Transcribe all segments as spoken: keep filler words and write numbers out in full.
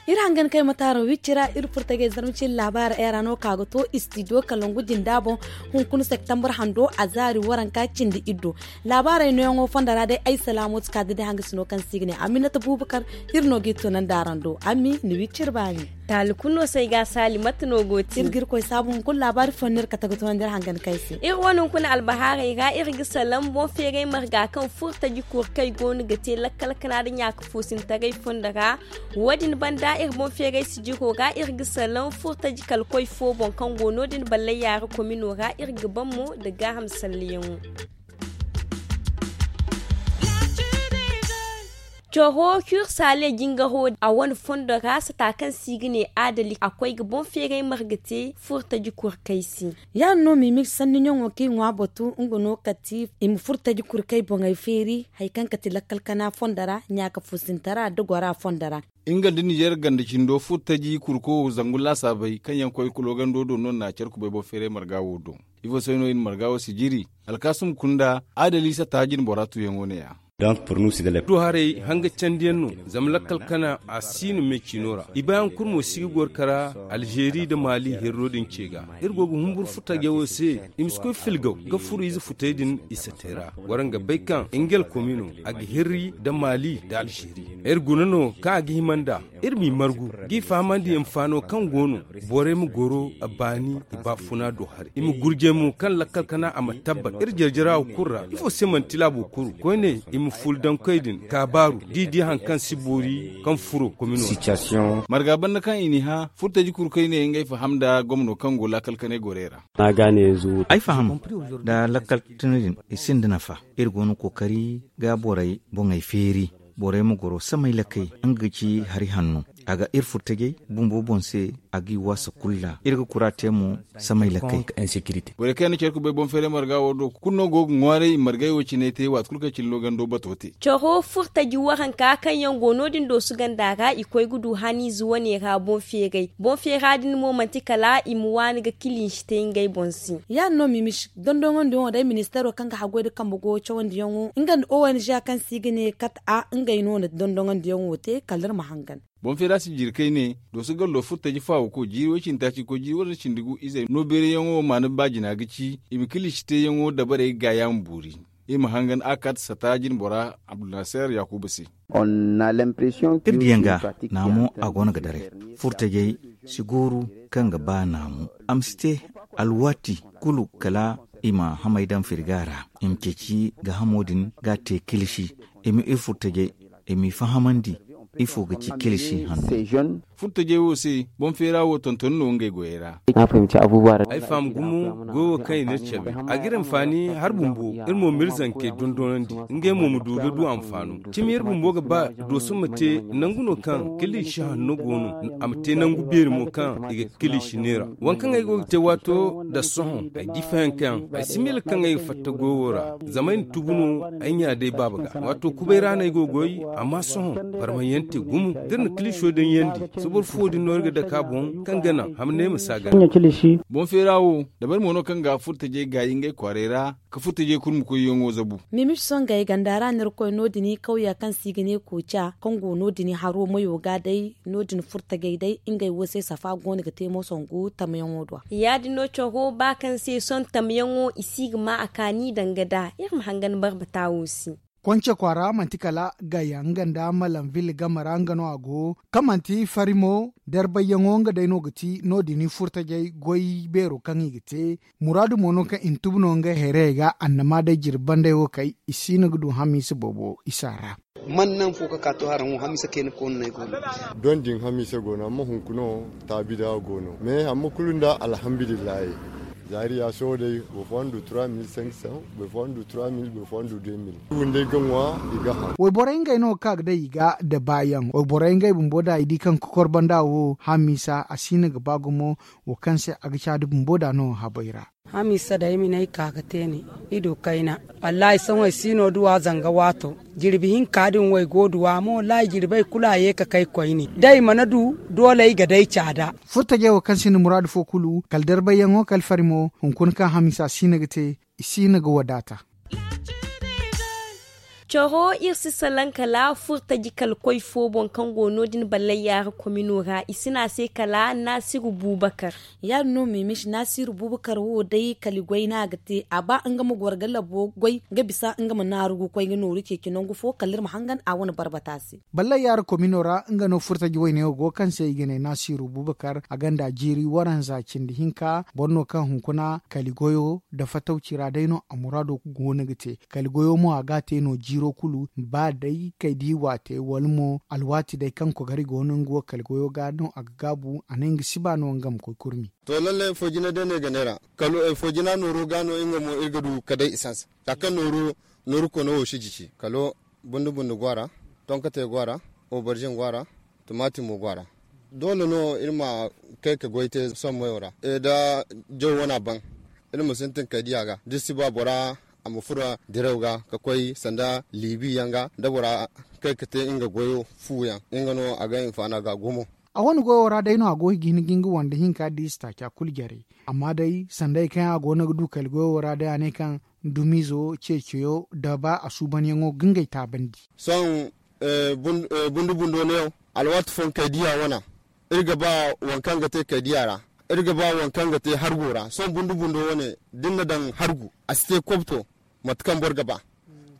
Iri hangan kay ma taaro wicci ra iri furtajey zarma cine laabaara ay ra no ka ga to istidiyo kalangu jinda boŋ. Hunkuna septembre hando a zaari waranka cindi iddo. Laabaarey nooyaŋo fondo ra day ay salaamooti ka ga day hanga sino kaŋ se i ga ne aminata buubakar. Iri no g'i tunandi araŋ do ami ni wicci iri baani. Taali kulu no se ay ga a saali mate no go ti iri ga iri koy saabu hunkuna laabaari fo no iri kate ga tunandi iri hangan kay se. Iri wane hunkuna albahaarey ra iri ga salaŋ boŋ feeray marga kaŋ furtaji kuri kaŋ i go no ga te lakkal kana nda ɲaaka foosintaray fondo ra. Wo- din banda iri boŋ feeray sijiro ra iri ga salaŋ furtaji kala koy fo boŋ kaŋ go no- din ballay yaara komino ra iri ga ban mo nda gaaham salleyaŋo. Coro kuri saale jingaro a wane fondo ra sata kaŋ se i ga ne adali a koy ga boŋ feeray marga te furtaji kuri kay se. Ya- din no mimir sanni ɲaŋo kaŋ i ŋwa batu nga no kati i ma furtaji kuri kay boŋey feeri hari kaŋ kati lakkal kana fondo ra ɲaaka fusintara nda gora fondo ra. Nga nda nizer ganda cindo furtaji kurko zangu laasaabey kaŋ yaŋ koy kulo gando do no na care kubay boŋ feeray marga wo do. Ifo se no i na marga wo si jiri alkaasum kunda adali sata jine bora tuyaŋo ne- ya. Du haray hanga candiyaŋ no zama lakkal kana a si no me ciino ra i baayaŋ kulu mo si ga goro kara alzeeri nda maali herro din ce ga. Iri go ga humburu furtajey wo se i ma si koy filgaw ga furo ize futey din i si te ra. War nga bay kaŋ ngel komi no a ga hirri nda maali nda alzeeri. Iri guna no kaŋ a ga hima nd'a iri m'i margu g'i fahamandi hinfaano kaŋ go no borey ma goro a baani i baafuna do haray i ma gurjay mo kaŋ lakkal kana a ma tabbat iri jarjara wo kulu ra ifo se manti laabo kuru koyne i ma fuula dankey din kaabaaru d'i di hari kaŋ si boori kaŋ furo komino ra. Marga banda kaŋ i n'i hã furtaji kulu kaŋ i ne ngey faham nda gomno kaŋ go laakal kanay gorey ra. Ay faham nda lakkal tana din i sinda nafa. Iri go no kookari ga borey boŋey feeri borey ma goro samay lakay nga ga ci hari hanno a ga iri furtajey bumbo boŋ se a g'i waasa kulu ra iri ga kura te mo samay lakay. Borey kaŋ yaŋ na care kubay boŋ feeray marga wo do kulu no go ga ŋwaaray i margay wo cine te waati kulu kaŋ cine no gando bato te. Coro furtaji waranka kaŋ yaŋ go no- din doosu ganda ra i koy ga du haniize wane ra boŋ feeray boŋ feera din mo manti kala i ma waani ga kiliisi te ngey boŋ se. Ya- din no mimis dondoŋandiyaŋo day ministeero kaŋ ga haggoy nda kambe goyo cawandiyaŋo nga nda ong kaŋ se i ga ne kat a ngey no na dondoŋandiyaŋo te kala iri ma hangan. Boŋ feera si jiri kayne dooso gallo furtaji faawako jiiri way cindi taaci koy jiiri way cindi gu izey no beerayaŋo maana ba jina ga ci i ma kiliisi teeyaŋo dabarey ga gaayaŋ boori. I ma hangan a kaati sata jinbora abdulnaseer yaakuba se. Iri diyaŋ ga naamu a go no ga daray furtajey si gooru kaŋ ga ba naamu a ma si te alwaati kulu kala i ma hamey daŋ firga ra i ma ceeci gaahamo din ga a te kilisi i ma iri furtajey i m'i fahamandi ifo ga ci kilisi hanno. Furtajey wo se boŋ feera wo tonton no ngey goyey ra. Ay faham gumo goyo kaŋ i n'iri cabe a g'iri hinfaani hari bumbo iri mo m'iri zankey dondonandi ngey mo ma du ga du hinfaano cimi iri bumbo ga ba dooso ma te nangu no kaŋ kiliisi hanno go no a ma te nangu beeri mo kaŋ i ga kiliisi neera waŋ kaŋ ay go ga te waato nda sohõ ay di fayankayaŋ ay si miila kaŋ ay ga fatta goyo ra zama ay na tubu no ay ɲa day baaba ga waato kubay ra no ay go ga goy amma sohõ barmayaŋ te gumo da iri na kiliiso daŋ yandi soboro fo din no iri ga dake a boŋ kaŋ ga naŋ hamney ma si a gana. Boŋ feera wo dabari mo no kaŋ ga furtajey gaayi ngey kwaaray ra ka furtajey kulu ma koyyaŋo zabu. Mimisi songey ganda ra no iri koy no- din kawya kaŋ se i ga ne kooca kaŋ go no- din haro mayo ga day no- din furtajey day ngey wo se safa go no ga te mo songu tamyaŋo do. Ya- din no coro ba kaŋ se sohõ tamyaŋo i si ga ma a kaani danga da iri ma hangan barbata wo se. Konce kwaara manti kala gaya nga nda malam ville game ra nga no a go kaŋ manti fari mo darbayyaŋo nga day no ga ti no- din furtajey goy beero kaŋ i ga te. Muraadu mo no kaŋ i na tubu no ngey hayrayey ga annama day jirbi bandey wo kay i si no ga du hamiisa boobo isa ra. Man naŋ fo ka ka to haraŋ wo hamiisa kayna koonu no ay go no. Don din hamiisa go no amma hunkuna wo taabi da go no mais amma kulu nda alhamdulillahi. Zaari ya sohõ day boro fooyaŋ du trois mille cinq cents boro fooyaŋ du trois mille boro fooyaŋ du deux mille. Windey ga ŋwa i ga haŋ. Wayborey ngey no ga ka ga day i ga nda baayaŋ wayborey ngey bumbo da i di kaŋ kokor banda wo hamiisa a si no ga ba gumo. Wo kaŋ se a ga caadi bumbo da no habay ra. Hamiisa day ay ma ne ay ka ga te ne. I du kayna. Wallaahi sohõ ay si no duwa zanga waato. Jirbi hinka din wo ay go duwa mo wallaahi jirbey kulu a ye ka kay koyne da ay mana du. Doole ay ga day caada. Furtajey wo kaŋ sinda muraadu fo kulu kala darbayyaŋo kala fari mo. Hunkuna kaŋ hamiisa si no ga te. I si no ga wadaata. Coro iri si salaŋ kala furtaji kala koy fo boŋ kaŋ go no- din ballay yaara komino ra i si ne a se kala naasiru buubakar. Ya- din no meemis naasiru buubakar wo day kala goy no a ga te a ba nga ma goro ga labo goy ga bisa nga ma naaru ga koy ga nooru ceeci nangu fo kala iri ma hangan a wane barbata se. Ballay yaara komino ra nga no furtaji woyne wo go kaŋ se i ga ne naasiru buubakar a gonda jiiri waranza cindi hinka boro no kaŋ hunkuna kala goyo nda fatawci ra day no a muraado go no ga te. Kala goyo mo a ga a te no jiiro kulu ba day kay da i waate wala mo alwaati day kaŋ kogari go no nga wo kala goyo ga no a ga gaabu a ne nga si ba no nga ma koy kurmi. To lallay foojina day no ay ga neera kala foojina nooro ga no nga mo iri ga du ka day i sansa za kaŋ nooru koono wo si jisi kala bundu bundu go a ra, tonkatey go a ra, obarzin go a ra, tumaati mo go a ra. Doole no iri ma kay ka goy te sohõ mayo ra nda jaw wana baŋ. Iri ma sintin kay diya ga da iri si ba bora a ma furo direw ga ka koy sanda liibi yaŋ ga da bora kay ka te nga goyo fu yaŋ nga no a ga hinfaana ga gumo. A wane goyo ra day no a go ga hin ga nga wande hinka da i si taaca kulu jare. Amma day sanda ay kaŋ a go no ga du kala goyo ra day a ne kaŋ dumiizo ceeciyo nda ba a suubanyaŋo ga ngey taabandi. Sohõ bundu bundo neewo alwaati fooyaŋ kay diya wana iri ga ba waŋ kaŋ ga te kay diya ra. Iri ga ba waŋ kaŋ ga te hargo ra sohõ bundu bundo wane da ni na daŋ hargu a si te kobto. Mate kaŋ boro ga ba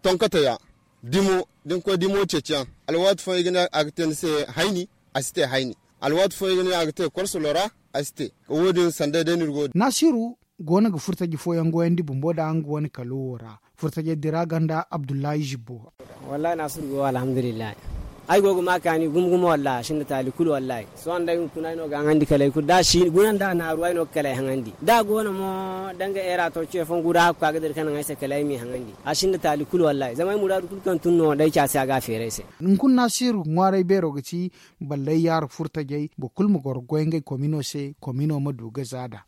tonkate ya dimo da ni koy dimo ceeciyaŋ. Alwaati fooyaŋ i ga ne a ga te ni se hayni a si te hayni. Alwaati fooyaŋ i ga ne a ga te korso lora a si te. Wo- din sanday day no iri go. Naasiru go no ga furtaji fooyaŋ goyandi bumbo nda nga wane kalo wo ra. Furtajey dira ganda abdullahi zibbo. Wallaahi naasiru go alhamdulillahi. Ay go ga ma kaani gumo gumo wallaahi a sinda taali kulu wallaahi. Sohõ day hunkuna ay no ga haŋandi kala ay kulu da a si guna nda a naaru ay no ga kala ay haŋandi da a go no mo danga eera to ce fooyaŋ gu da a ga ka ga dira ka naŋ ay se kala ay m'i haŋandi. A sinda taali kulu wallaahi zama ay muraadu kulu kaŋ tun no day ci a se a ga a feeri ay se. Hunkuna naasiru ŋwaaray beero ga ci. Ballay yaara furtajey boro kulu ma goro goy ngey komino se komino ma du ga zaada.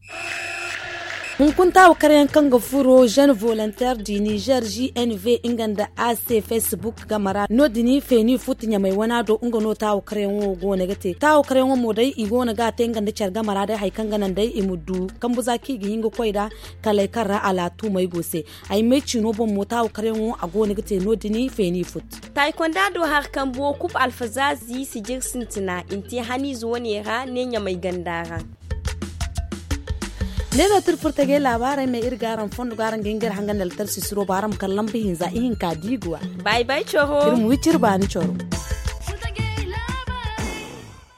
Hunkuna taawakaryaŋ kaŋ ga furo jeune volontaire du niger g n v nga nda a se facebook game ra no- din feeni futu ɲamay wana do nga no taawakaryaŋo go no ga te taawakaryaŋo mo day i go no ga a te nga nda care game ra day hari kaŋ ga naŋ day i ma du kambu za kaŋ i ga hin ga koy nd'a. Kalay kaŋ ra alaatumey go se ay may ciino boŋ mo taawakaryaŋo a go no ga te no- din feeni futu. Taayikonda do hari kambo kub alfazaazi sijir sintina i na te haniize wane ra ne ɲamay ganda ra. Ne no tir furtajey laabaarey me iri ga araŋ fondo ga araŋ ga hin ga iri hangan da altar sisiro ba araŋ ma kala lamba hinza ihinka diiguwa. Bay bay coro iri ma wi ciri baani coro.